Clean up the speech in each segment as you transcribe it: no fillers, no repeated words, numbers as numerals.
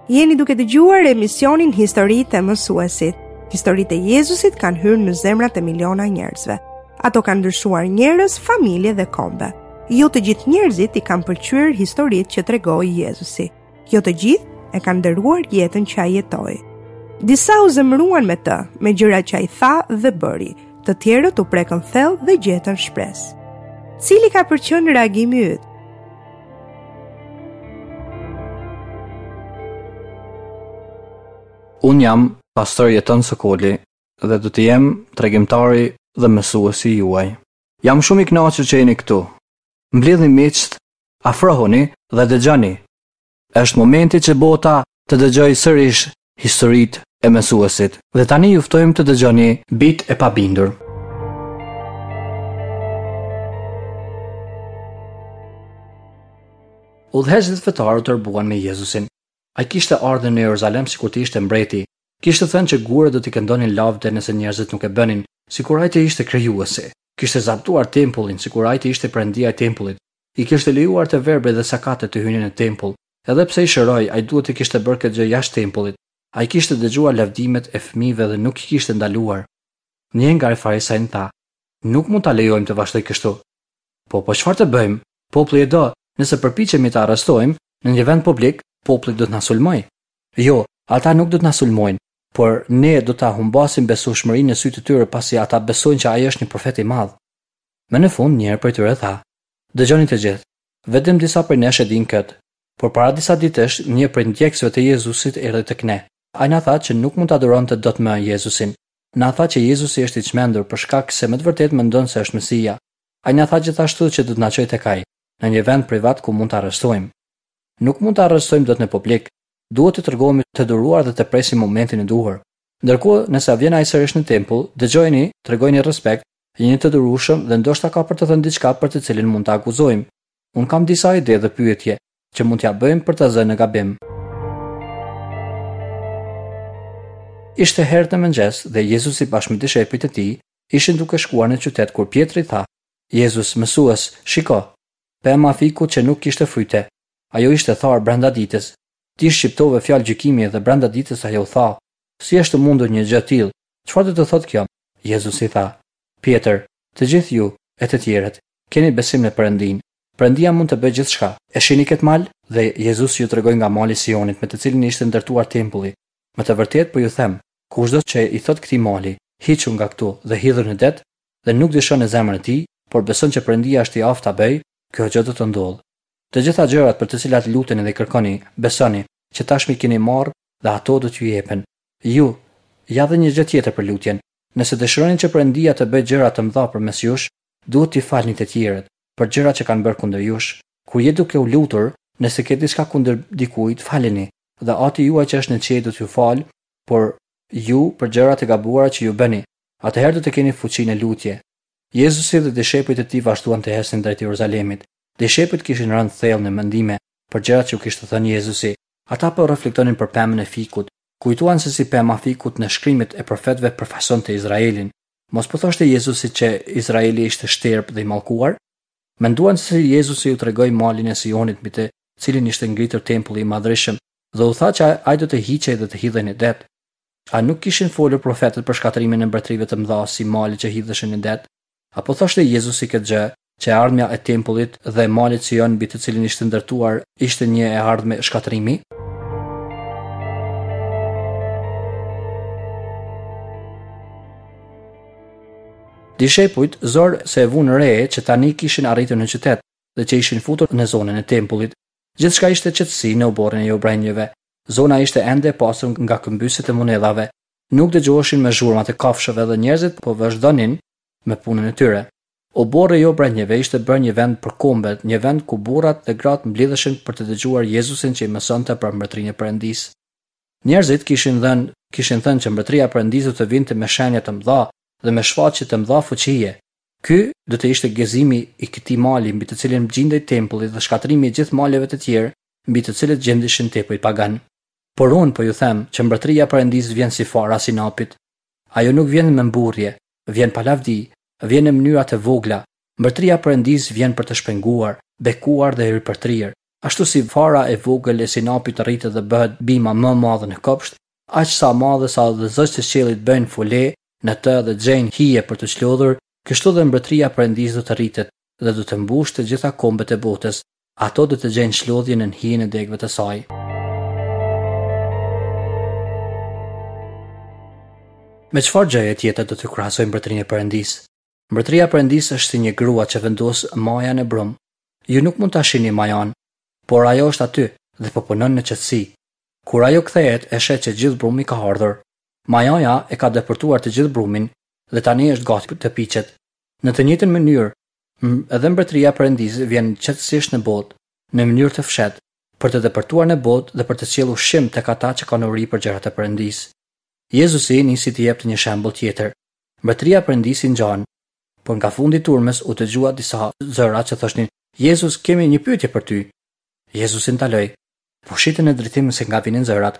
Jeni duke dëgjuar emisionin Historitë e Mësuesit. Historitë e Jezusit kanë hyrë në zemrat e miliona njerëzve. Ato kanë ndryshuar njerëz, familje dhe kombe. Jo të gjithë njerëzit i kanë pëlqyer historitë që tregoi Jezusi. Jo të gjithë e kanë nderuar jetën që ai jetoi. Disa u zemëruan me të, me gjërat që ai tha dhe bëri. Të tjerët u prekën thellë dhe gjetën shpresë. Cili ka për qenë reagimi yt? Unë jam pastor Jeton Sokoli dhe do të jem tregimtari dhe mësuesi juaj. Jam shumë i kënaqur që jeni këtu. Mblidhni miqtë, afrohuni dhe dëgjoni. Është momenti që bota të dëgjojë sërish historitë e mësuesit. Dhe tani ju ftojmë të dëgjoni Bijtë e Pabindur. Udhëheqësit fetarë u tërbuan me Jezusin. Ai kishte ardhur në Jeruzalem sikur të ishte mbreti. Kishte thënë që gurët do t'i këndonin lavde nëse njerëzit nuk e bënin, sikur ai të ishte krijuesi. Kishte zaptuar tempullin sikur ai të ishte perëndia e tempullit. I kishte lejuar të verbrit dhe sakatët të hynin në tempull. Edhe pse i shëroi, ai duhet të kishte bërë këtë gjë jashtë tempullit. Ai kishte dëgjuar lavdimet e fëmijëve dhe nuk i kishte ndaluar. Një nga farisenjtë tha, Nuk mund ta lejojmë të vazhdojë kështu. Po, po çfarë të bëjmë? Populli e do, nëse përpiqemi ta arrestojmë, në një vend publik, populli do të na sulmojë. Jo, ata nuk do të na sulmojnë, por ne do ta humbasim besueshmërinë në sytë e tyre pasi ata besojnë që ai është një profet i madh. Më në fund, njëri prej tyre tha, Dëgjoni të gjithë, vetëm disa prej nesh e dinë këtë, por para disa ditësh një prej ndjekësve të Jezusit erdhi tek ne. Ai na tha që nuk mund ta duronte dot më Jezusin. Na tha që Jezusi është i çmendur për shkak se me të vërtetë mendon se është Mesia. Ai na tha gjithashtu që do të na çojë tek ai, në një vend privat ku mund ta arrestojmë. Nuk mund ta arrestojmë dot në publik. Duhet të tregohemi të duruar dhe të presim momentin e duhur. Ndërkohë, nëse vjen ai sërish në tempull, dëgjojeni, tregojini respekt, jini të durueshëm dhe ndoshta ka për të thënë diçka për të cilën mund ta akuzojmë. Unë kam disa ide dhe pyetje, që mund t'ia bëjmë për ta zënë në gabim. Ishte herët në mëngjes dhe Jezusi bashkë me dishepujt e tij ishin duke shkuar në qytet kur Pjetri tha, Jezus, mësues, shiko! Pema e fikut që nuk kishte fryte, ajo ishte tharë brenda ditës. Ti shqiptove fjalë gjykimi dhe brenda ditës ajo u tha. Si është e mundur një gjë e tillë? Çfarë do të thotë kjo? Jezusi tha, Pjetër, të gjithë ju, e të tjerët, keni besim në Perëndinë. Perëndia mund të bëjë gjithçka. E shihni këtë mal? Dhe Jezusi u tregoi nga mali i Sionit me të cilin ishte ndërtuar tempulli. Me të vërtetë po ju them, kushdo që i thotë këtij mali, Hiqu nga këtu dhe hidhu në det, dhe nuk dyshon në zemrën e tij, por beson që Perëndia është i aftë ta bëjë, kjo gjë do të ndodhë. Të gjitha gjërat për të cilat luteni dhe kërkoni, besoni, që tashmë i keni marrë dhe ato do t'ju jepen. Ju, ja dhe një gjë tjetër për lutjen. Nëse dëshironi që Perëndia të bëjë gjëra të mëdha përmes jush, duhet t'i falni të tjerët, për gjërat që kanë bërë kundër jush. Kur je duke u lutur, nëse ke diçka kundër dikujt, faleni, dhe Ati juaj që është në qiej do t'ju falë, por ju për gjërat e gabuara që ju bëni. Atëherë do të keni fuqi në lutje. Jezusi dhe dishepujt e tij vazhduan të ecnin drejt Jeruzalemit. Dishepujt kishin rënë thellë në mendime për gjërat që u kishte thënë Jezusi. Ata po reflektonin për pemën e fikut, Kujtuan se si pema e fikut në shkrimet e profetëve përfaqësonte Izraelin. Mos po thoshte Jezusi që Izraeli ishte shterpë dhe i mallkuar? Menduan se si Jezusi u tregoi malin e Sionit mbi të cilin ishte ngritur tempulli i madhërishëm dhe u tha që ai do të hiqej dhe të hidhej në det. A nuk kishin folur profetët për shkatërrimin e mbretërive të mëdha si malet që hidheshin në det? A po thoshte Jezusi këtë gjë, që e ardhmja e tempullit dhe malit Sion mbi të cilin ishte ndërtuar ishte një e ardhme shkatërrimi? Dishepujt zor se e vunë re që tani kishin arritur në qytet dhe që ishin futur në zonën e tempullit. Gjithçka ishte qetësi në oborrin e hebrenjve. Zona ishte ende e pastër nga këmbysjet e monedhave. Nuk dëgjoheshin më zhurmat e kafshëve dhe njerëzit po vazhdonin me punën e tyre. Oborri i hebrenjve ishte bërë një vend për kombet, një vend ku burrat dhe gratë mblidheshin për të dëgjuar Jezusin që i mësonte për Mbretërinë e Perëndisë. Njerëzit kishin dhënë kishin thënë që Mbretëria e Perëndisë do të vinte me shenja të mëdha dhe me shfaqje të mëdha fuqie. Ky do të ishte gëzimi i këtij mali mbi të cilin gjindej tempulli dhe shkatërrimi i gjithë maleve të tjerë mbi të cilët gjendeshin tempujt paganë. Por unë po ju them që Mbretëria e Perëndisë vjen si fara e sinapit. Ajo nuk vjen me mburrje, vjen pa lavdi, vjen në mënyra të vogla. Mbretëria e Perëndisë vjen për të shpenguar, bekuar dhe ripërtrirë. Ashtu si fara e vogël e sinapit rritet dhe bëhet bima më e madhe në kopsht, aq sa madhe sa dhe zogjtë e qiellit bëjnë fule në të dhe gjejnë hije për t'u çlodhur, kështu dhe mbretëria e Perëndisë do të rritet dhe do të mbushë të gjitha kombet e botës, ato do të gjejnë çlodhje nën hijen e degëve të saj. Me çfarë gjëje tjetër do të krahasoj mbretërinë e Perëndisë? Mbretëria e Perëndisë është si një grua që vendos maja në brumë. Ju nuk mund ta shihni majanë, por ajo është aty dhe po punon në qetësi. Kur ajo kthehet, e sheh që gjithë brumi ka hardhur. Majaja e ka depërtuar të gjithë brumin dhe tani është gati të piqet. Në të njëjtën mënyrë, edhe Mbretëria e Perëndisë vjen qetësisht në botë, në mënyrë të fshehtë, për të depërtuar në botë dhe për të sjellë ushqim tek ata që kanë uri për gjërat e Perëndisë. Jezusi nisi të jepte një shembull tjetër. Mbretëria e Perëndisë i ngjan. Por nga fundi i turmës u dëgjua disa zëra që thoshnin, Jezus, kemi një pyetje për ty. Jezusi ndaloi. Po shihte në drejtim se nga vinin zërat.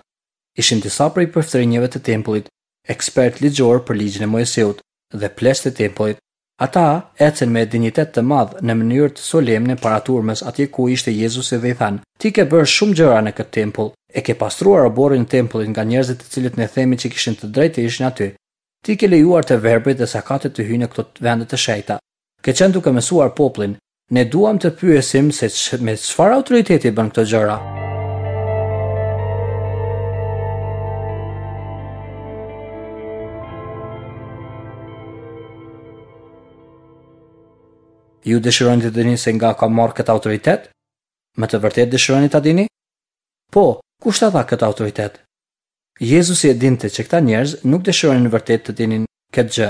Ishin disa prej priftërinjve të tempullit, ekspertë ligjorë për ligjin e Moisiut dhe pleqtë e tempullit. Ata ecën me dinjitet të madh në mënyrë të solemne para turmës atje ku ishte Jezusi dhe i thanë, Ti ke bërë shumë gjëra në këtë tempull, e ke pastruar oborrin e tempullit nga njerëzit të cilët ne themi që kishin të drejtë të ishin aty. Ti ke lejuar të verbrit dhe sakatët të hyjnë në këto vende të shenjta. Ke qenë duke mësuar popullin. Ne duam të pyesim se me çfarë autoriteti bën këto gjëra. Ju dëshironi të dini se nga kam marrë këtë autoritet? Me të vërtetë dëshironi ta dini? Po, kush ta dha këtë autoritet? Jezusi e dinte që këta njerëz nuk dëshironin vërtet të dinin këtë gjë.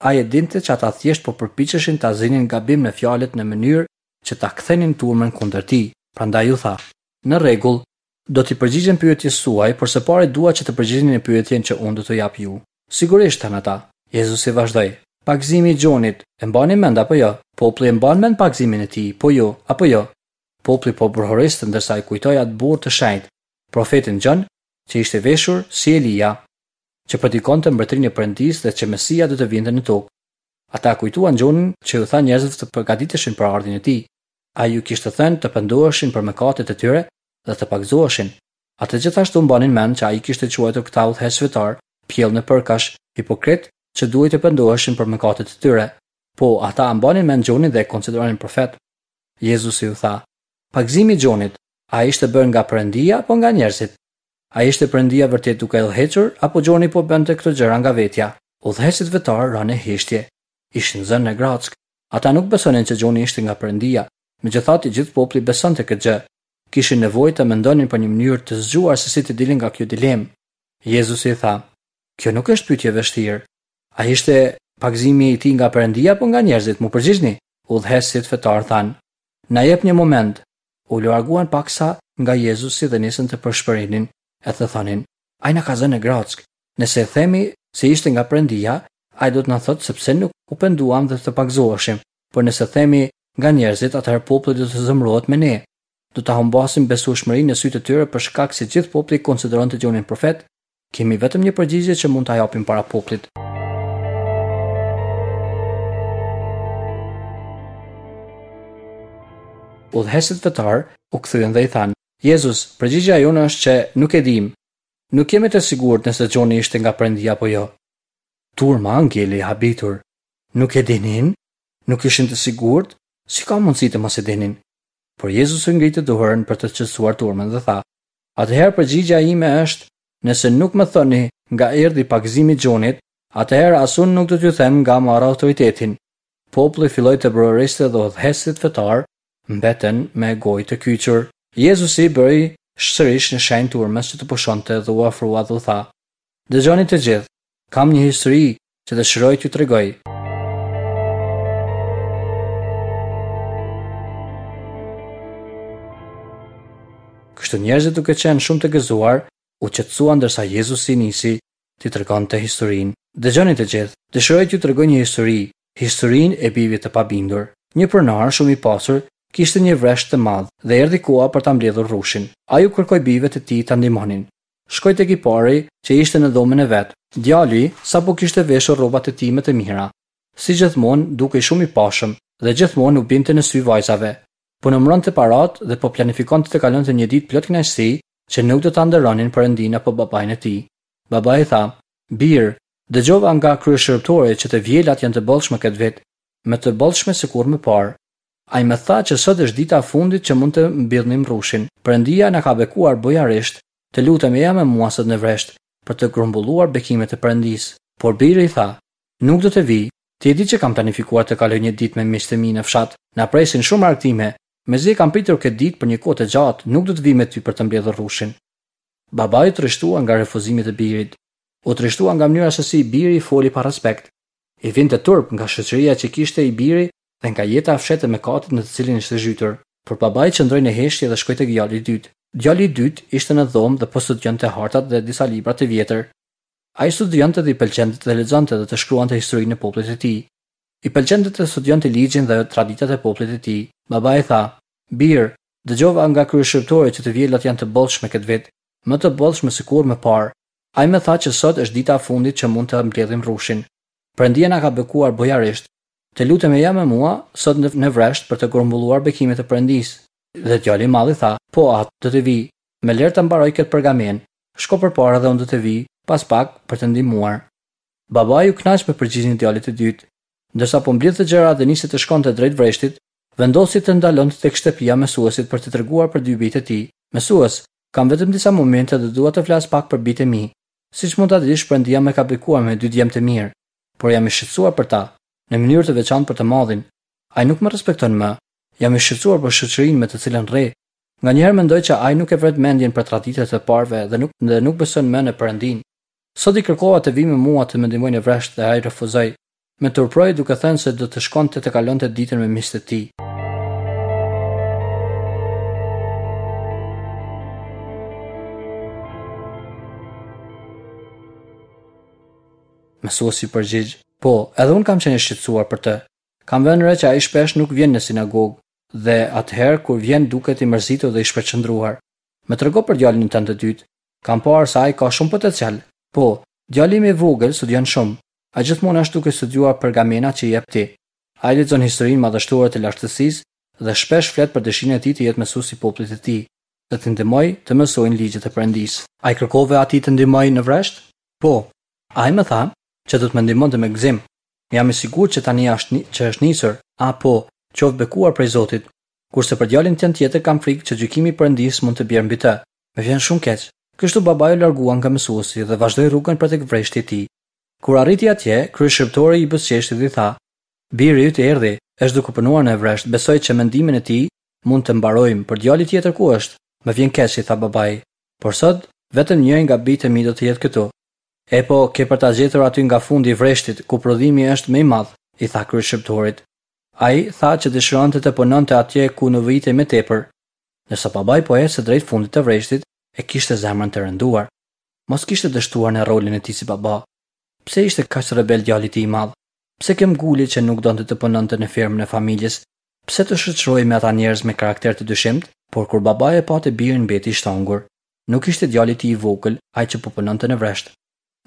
Ai e dinte që ata thjesht po përpiqeshin ta zinin gabim në fjalët në mënyrë që ta kthenin turmën kundër tij. Prandaj u tha, Në rregull, do t'i përgjigjem pyetjes suaj, por së pari dua që të përgjigjeni në pyetjen që unë do t'ju jap ju. Sigurisht, thanë ata. Jezusi vazhdoi, Pagëzimi i Gjonit, e mbani mend apo jo? Populli e mban mend pagëzimin e tij, po ju, apo jo? Populli po brohoriste ndërsa e kujtoi atë burrë të shenjtë, profetin Gjon, që ishte veshur si Elia, që predikonte mbretërinë e Perëndisë dhe që Mesia do të vinte në tokë. Ata e kujtuan Gjonin që u tha njerëzve të përgatiteshin për ardhjen e tij. Ai u kishte thënë të pendoheshin për mëkatet e tyre dhe të pagëzoheshin. Ata gjithashtu mbanin mend që ai kishte quajtur këta udhëheqës fetarë pjellë nepërkash, hipokritë që duhej të pendoheshin për mëkatet e tyre. Po, ata e mbanin mend Gjonin dhe e konsideronin profet. Jezusi u tha, Pagëzimi i Gjonit, a ishte bërë nga Perëndia apo nga njerëzit? A ishte Perëndia vërtet duke e udhëhequr apo Gjoni po bënte këto gjëra nga vetja? Udhëheqësit fetarë ranë në heshtje. Ishin zënë në grackë. Ata nuk besonin që Gjoni ishte nga Perëndia. Megjithatë, i gjithë populli besonte këtë gjë. Kishin nevojë të mendonin për një mënyrë të zgjuar se si të dilnin nga kjo dilemë. Jezusi i tha, Kjo nuk është pyetje e vështirë. A ishte pagëzimi i tij nga Perëndia apo nga njerëzit? M'u përgjigjni. Udhëheqësit fetarë thanë, Na jep një moment. U larguan paksa nga Jezusi dhe nisën të pëshpërinin e të thonin, Ai na ka zënë në grackë. Nëse themi se ishte nga Perëndia, ai do të na thotë se pse nuk u penduam dhe të pagëzoheshim. Por nëse themi nga njerëzit, atëherë populli do të zemërohet me ne. Do ta humbasim besueshmërinë në sytë e tyre për shkak se gjithë populli e konsideronte Gjonin profet. Kemi vetëm një përgjigje që mund ta japim para popullit. Udhëheqësit fetarë u kthyen dhe i thanë, Jezus, përgjigja jonë është që nuk e dimë. Nuk jemi të sigurt nëse Gjoni ishte nga Perëndia apo jo. Turma ngeli e habitur. Nuk e dinin? Nuk ishin të sigurt? Si ka mundësi të mos e dinin? Por Jezusi ngriti dorën për të qetësuar turmën dhe tha, Atëherë përgjigja ime është, nëse nuk më thoni nga erdhi pagëzimi i Gjonit, atëherë as unë nuk do t'ju them nga marr autoritetin. Populli filloi të brohoriste dhe udhëheqësit fetarë mbetën me gojë të kyçur. Jezusi i bëri sërish një shenjë turmës që të pushonte dhe u afrua dhe u tha, Dëgjoni të gjithë, kam një histori që dëshiroj t'ju tregoj. Kështu njerëzit duke qenë shumë të gëzuar, u qetësuan ndërsa Jezusi nisi t'i tregonte historinë. Dëgjoni të gjithë, dëshiroj t'ju tregoj një histori, historinë e bijve të pabindur. Një pronar shumë i pasur kishte një vresht të madh dhe erdhi koha për ta mbledhur rrushin. Ai u kërkoi bijve të tij ta ndihmonin. Shkoi tek i pari që ishte në dhomën e vet. Djali sapo kishte veshur rrobat e tij më të mira. Si gjithmonë, dukej shumë i pashëm dhe gjithmonë u binte në sy vajzave. Po numëronte paratë dhe po planifikonte të kalonte një ditë plot kënaqësi që nuk do ta nderonin Perëndinë apo babain e tij. Babai i tha, Bir, dëgjova nga kryeshërbëtori që të vjelat janë të bollshme këtë vit, më të bollshme se kurrë më parë. Ai më tha që sot është dita e fundit që mund të mbillnim rrushin. Perëndia na ka bekuar bujarisht, të lutem eja me mua sot në vresht, për të grumbulluar bekimet e Perëndisë. Por biri i tha, Nuk do të vij, ti e di që kam planifikuar të kaloj një ditë me miqtë e mi në fshat, na presin shumë argëtime, mezi e kam pritur këtë ditë për një kohë të gjatë, nuk do të vij me ty për të mbledhur rrushin. Babai u trishtua nga refuzimi i birit. U trishtua nga mënyra se si i biri i foli pa respekt. I vinte turp nga shoqëria që kishte i biri dhe nga jeta e fshehtë e mëkatit në të cilin ishte zhytur. Por babai qëndroi në heshtje dhe shkoi tek djali i dytë. Djali i dytë ishte në dhomë dhe po studionte hartat dhe disa libra të vjetër. Ai studionte dhe i pëlqente të lexonte dhe të shkruante historinë e popullit të tij. I pëlqente të studionte ligjin dhe traditat e popullit të tij. Babai i tha, Bir, dëgjova nga kryeshërbëtori që të vjelat janë të bollshme këtë vit, më të bollshme se kurrë më parë. Ai më tha që sot është dita e fundit që mund të mbledhim rrushin. Perëndia na ka bekuar bujarisht. Të lutem eja me mua sot në, në vresht për të grumbulluar bekimet e Perëndisë. Dhe djali i madh i tha, Po atë, do të vij. Më lër të mbaroj këtë pergamenë. Shko përpara dhe unë do të vij, pas pak, për të ndihmuar. Babai u kënaq me përgjigjen e djalit të dytë. Ndërsa po mblidhte gjërat dhe nisi të shkonte drejt vreshtit, vendosi të ndalonte tek shtëpia e mësuesit për të treguar për dy bijtë e tij. Mësues, kam vetëm disa momente dhe dua të flas pak për bijtë e mi. Siç mund ta dish, Perëndia më ka bekuar me dy djem të mirë, por jam i shqetësuar për ta, në mënyrë të veçantë për të madhin. Ai nuk më respekton më. Jam i shqetësuar për shoqërinë me të cilën rri. Nganjëherë mendoj që ai nuk e vret mendjen për traditat e të parëve dhe nuk dhe nuk beson më në Perëndinë. Sot i kërkova të vijë me mua të më ndihmojë në vresht dhe ai refuzoi. Më turpëroi duke thënë se do të shkonte të kalonte ditën me miqtë e tij. Mësuesi u përgjigj, Po, edhe unë kam qenë i shqetësuar për të. Kam vënë re që ai shpesh nuk vjen në sinagogë dhe atëherë kur vjen duket i mërzitur dhe i shpërqendruar. Më trego për djalin tënd të dytë. Kam parë se ai ka shumë potencial. Po, djali im i vogël studion shumë. Ai gjithmonë është duke studiuar pergamenat që i jep ti. Ai lexon historinë madhështore të lashtësisë dhe shpesh flet për dëshirën e tij të jetë mësues i popullit të tij dhe t'i ndihmojë të mësojnë ligjet e Perëndisë. A i kërkove atij të ndihmojë në vresht? Po. Ai më tha që do të më ndihmonte me gëzim. Jam i sigurt që tani është që është nisur. Ah po, qoftë bekuar prej Zotit. Kurse për djalin tënd tjetër kam frikë që gjykimi i Perëndisë mund të bjerë mbi të. Më vjen shumë keq. Kështu babai u largua nga mësuesi dhe vazhdoi rrugën për tek vreshti i tij. Kur arriti atje, kryeshërbëtori i buzëqeshi dhe i tha, Biri yt erdhi, është duke punuar në vresht, besoj që me ndihmën e tij mund të mbarojmë, por djali tjetër ku është? Më vjen keq, i tha babai, por sot vetëm njëri nga bijtë e mi do të jetë këtu. Epo, ke për ta gjetur aty nga fundi i vreshtit, ku prodhimi është më i madh, i tha kryeshërbëtorit. Ai tha që dëshironte të punonte atje ku nevojitej më tepër. Ndërsa babai po ecte drejt fundit të vreshtit, e kishte zemrën të rënduar. Mos kishte dështuar në rolin e tij si baba. Pse ishte kaq rebel djali i tij i madh? Pse këmbguli që nuk donte të punonte në fermën e familjes? Pse të shoqërohej me ata njerëz me karakter të dyshimtë? Por kur babai e pa të birin mbeti i shtangur. Nuk ishte djali i tij i vogël ai që po punonte në vresht.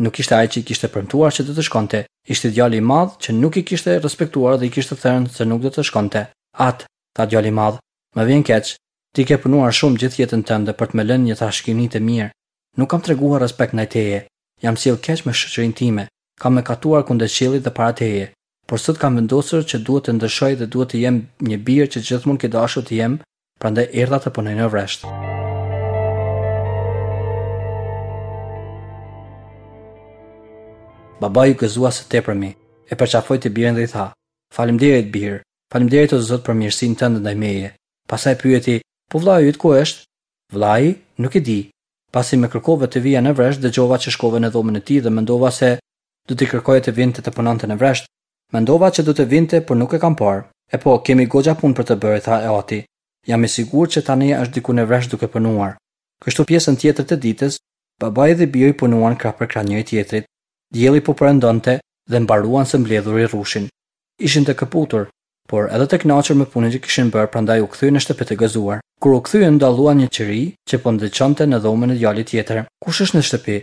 Nuk ishte ai që i kishte premtuar që do të shkonte, ishte djali i madh që nuk e kishte respektuar dhe i kishte thënë se nuk do të shkonte. Atë, tha djali i madh, më vjen keq, ti ke punuar shumë gjithë jetën tënde për të më lënë një trashëgimi të mirë. Nuk kam treguar respekt ndaj teje. Jam sjellë keq me shoqërinë time. Kam mëkatuar kundër qiellit dhe para teje. Por sot kam vendosur që duhet të ndryshoj dhe duhet të jem një bir që gjithmonë ke dashur të jem, prandaj erdha të punoj në vresht. Babai u gëzua së tepërmi, e përqafoi të birin dhe i tha, Faleminderit bir, faleminderit o Zot për mirësinë tënde ndaj meje. Pastaj pyeti, Po vëllai yt ku është? Vëllai? Nuk e di. Pasi më kërkove të vija në vresht, dëgjova që shkove në dhomën e tij dhe mendova se do t'i kërkoje të vinte të punonte në vresht. Mendova që do të vinte, por nuk e kam parë. E po, kemi goxha punë për të bërë, tha e ati. Jam i sigurt që tani është diku në vresht duke punuar. Kështu pjesën tjetër të ditës, babai dhe biri punuan krah për krah njëri-tjetrit. Dielli po perëndonte dhe mbaruan së mbledhuri rrushin. Ishin të këputur, por edhe të kënaqur me punën që kishin bërë prandaj u kthyen në shtëpi të gëzuar. Kur u kthyen dalluan një qiri që po ndriçonte në dhomën e djalit tjetër. Kush është në shtëpi?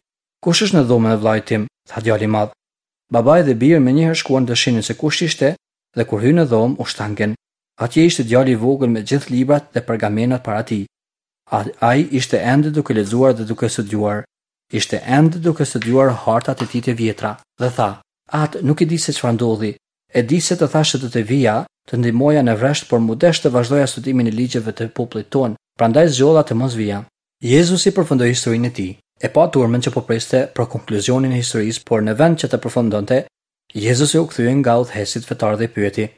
Kush është në dhomën e vëllait tim? tha djali i madh. Babai dhe biri menjëherë shkuan të shihnin se kush ishte dhe kur hynë në dhomë u shtangën. Atje ishte djali i vogël me gjithë librat dhe pergamenat para tij. Ai ishte ende duke lexuar dhe duke studiuar. Ishte ende duke studiuar hartat e tij të vjetra dhe tha, Atë, nuk e di se çfarë ndodhi. E di se të thashë se do të vija, të ndihmoja në vresht, por m'u desh të vazhdoja studimin e ligjeve të popullit tonë, prandaj zgjodha të mos vija. Jezusi përfundoi historinë e tij. E pa turmën që po priste për konkluzionin e historisë, por në vend që të përfundonte, Jezusi u kthye nga udhëheqësit fetarë dhe i pyeti,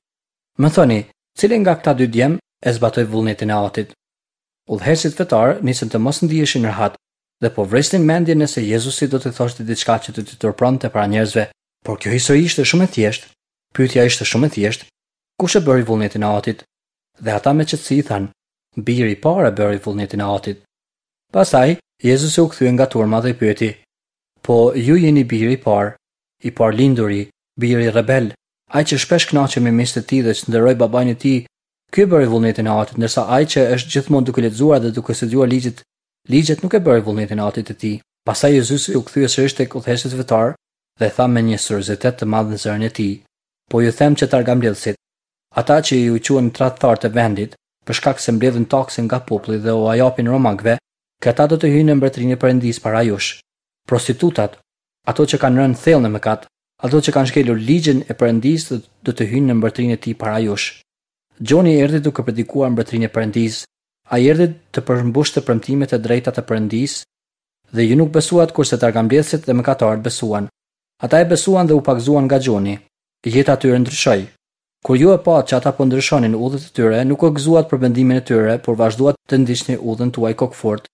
Më thoni, cili nga këta dy djem e zbatoi vullnetin e Atit? Udhëheqësit fetarë nisën të mos ndiheshin rehat dhe po vrisnin mendjen nëse Jezusi do të thoshte diçka që do t'i turpëronte para njerëzve. Por kjo histori ishte shumë e thjeshtë. Pyetja ishte shumë e thjeshtë. Kush e bëri vullnetin e Atit? Dhe ata me qetësi i thanë, Biri i parë e bëri vullnetin e Atit. Pastaj, Jezusi u kthye nga turma dhe i pyeti, Po, ju jeni biri i parë, i parëlinduri, biri rebel, ai që shpesh kënaqej me miqtë e tij dhe çnderoi babain e tij, ky e bëri vullnetin e Atit, ndërsa ai që është gjithmonë duke lexuar dhe duke studiuar ligjet, ligjet nuk e bëri vullnetin e Atit të tij. Pastaj Jezusi u kthye sërish tek udhëheqësit fetarë dhe tha me një seriozitet të madh në zërin e tij, Po ju them që targambledhësit, ata që ju quajnë tradhtarë të vendit, për shkak se mbledhin taksën nga populli dhe ua japin romakëve, këta do të hyjnë në mbretërinë e Perëndisë para jush. Prostitutat, ato që kanë rënë thellë në mëkat, ato që kanë shkelur ligjin e Perëndisë do të hyjnë në mbretërinë e tij para jush. Gjoni erdhi duke predikuar mbretërinë e Perëndisë. Ai erdhi të përmbushte premtimet e drejta të Perëndisë dhe ju nuk besuat kurse targambledhësit dhe mëkatarët besuan. Ata e besuan dhe u pagëzuan nga Gjoni. Jeta e tyre ndryshoi. Kur ju e patë që ata po ndryshonin udhët e tyre, nuk u gëzuat për vendimin e tyre, por vazhduat të ndiqni udhën tuaj kokëfortë.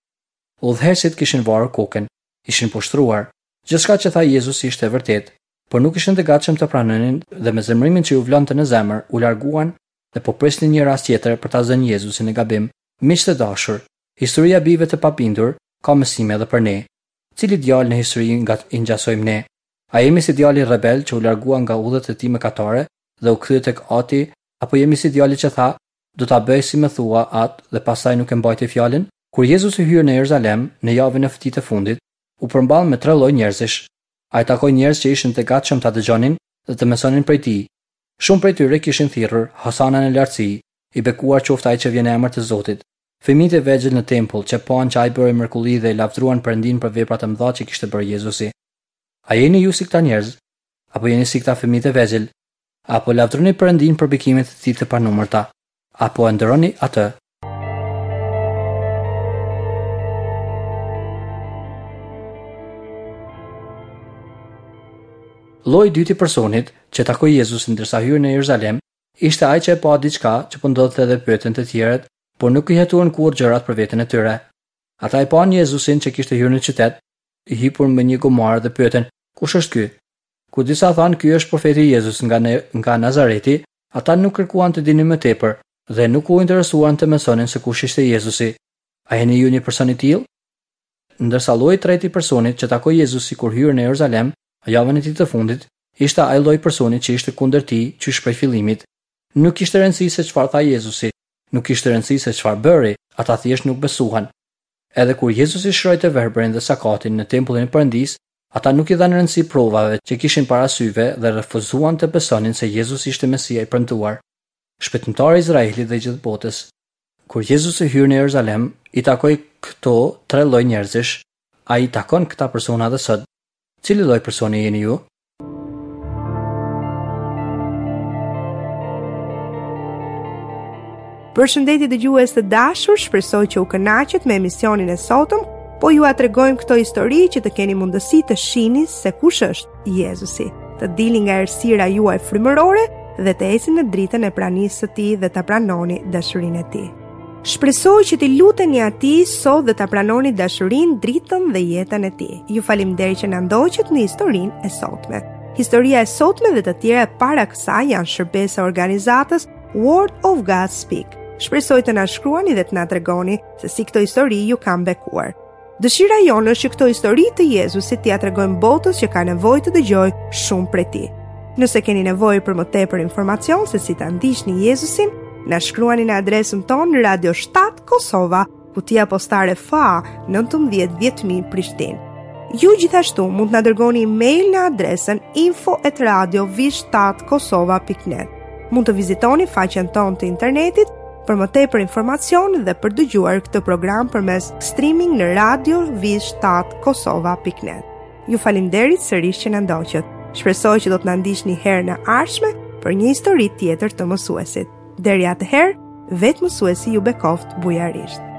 Udhëheqësit kishin varur kokën, ishin poshtëruar. Gjithçka që tha Jezusi ishte e vërtetë, por nuk ishin të gatshëm të pranonin dhe me zemërimin që iu vlonte në zemër, u larguan dhe po prisnin një rast tjetër për ta zënë Jezusin në gabim. Miq të dashur, historia e bijve të pabindur ka mësime edhe për ne. Cilit djalë në histori nga i ngjasojmë ne? A jemi si djali rebel që u largua nga udhët e tij mëkatare dhe u kthye tek ati, apo jemi si djali që tha, Do ta bëj si më thua, atë dhe pastaj nuk e mbajti fjalën? Kur Jezusi hyri në Jeruzalem, në javën e tij të fundit, u përball me tre lloj njerëzish. Ai takoi njerëz që ishin të gatshëm ta dëgjonin dhe të mësonin prej tij. Shumë prej tyre kishin thirrur, Hosana në lartësi, i bekuar qoftë ai që vjen në emër të Zotit. Fëmijët e vegjël në tempull, që panë që ai bëri mrekulli dhe e lavdëruan Perëndinë për veprat e mëdha që kishte bërë Jezusi. A jeni ju si këta njerëz? Apo jeni si këta fëmijët e vegjël? A po lavdëroni Perëndinë për bekimet e tij të panumërta? A po e nderoni atë? Lloji i dytë i personit që takoi Jezusin ndërsa hyri në Jeruzalem ishte ai që e pa diçka që po ndodhte dhe pyetën të tjerët, por nuk i hetuan kurrë gjërat për veten e tyre. Ata e panë Jezusin që kishte hyrë në qytet, i hipur mbi një gomar dhe pyetën, Kush është ky? Kur disa thanë ky është profeti Jezus nga nga Nazareti, ata nuk kërkuan të dinin më tepër dhe nuk u interesuan të mësonin se kush ishte Jezusi. A jeni ju një person i tillë? Ndërsa lloji i tretë i personit që takoi Jezusi kur hyri në Jeruzalem, javën e tij të fundit, ishte ai lloj personi që ishte kundër tij qysh prej fillimit. Nuk kishte rëndësi se çfarë tha Jezusi, nuk kishte rëndësi se çfarë bëri, ata thjesht nuk besuan. Edhe kur Jezusi shëroi të verbërin dhe sakatin në tempullin e Perëndisë, ata nuk i dhanë rëndësi provave që kishin para syve dhe refuzuan të besonin se Jezusi ishte Mesia i premtuar, Shpëtimtari i Izraelit dhe i gjithë botës. Kur Jezusi hyri në Jeruzalem, i takoi këto tre lloj njerëzish. Ai i takon këta persona edhe sot. Cili lloj personi jeni ju? Përshëndetje dëgjues të dashur, shpresoj që u kënaqët me emisionin e sotëm, po jua tregojmë këto histori që të keni mundësi të shihni se kush është Jezusi, të dilni nga errësira juaj frymërore dhe të ecni në dritën e pranisë së tij dhe ta pranoni dashurinë e tij. Shpresoj që t'i luteni atij sot dhe ta pranoni dashurinë, dritën dhe jetën e tij. Ju faleminderit që na ndoqët në historinë e sotme. Historia e sotme dhe të tjera para kësaj janë shërbesë e organizatës Word of God Speak. Shpresoj të na shkruani dhe të na tregoni se si këto histori ju kanë bekuar. Dëshira jonë është që këto histori të Jezusit t'ia tregojmë botës që ka nevojë të dëgjojë shumë prej tij. Nëse keni nevojë për më tepër informacion se si ta ndiqni Jezusin, na shkruani në adresën tonë Radio 7 Kosova, kutia postare FA 19 10000 Prishtinë. Ju gjithashtu mund të na dërgoni email në adresën info@radio7kosova.net. Mund të vizitoni faqen tonë të internetit për më tepër informacion dhe për dëgjuar këtë program përmes streaming në radio v7 kosova.net. Ju faleminderit sërish që na ndoqët. Shpresoj që do të na ndiqni herën e ardhshme për një histori tjetër të mësuesit. Deri atëherë, vetë mësuesi ju bekoftë bujarisht.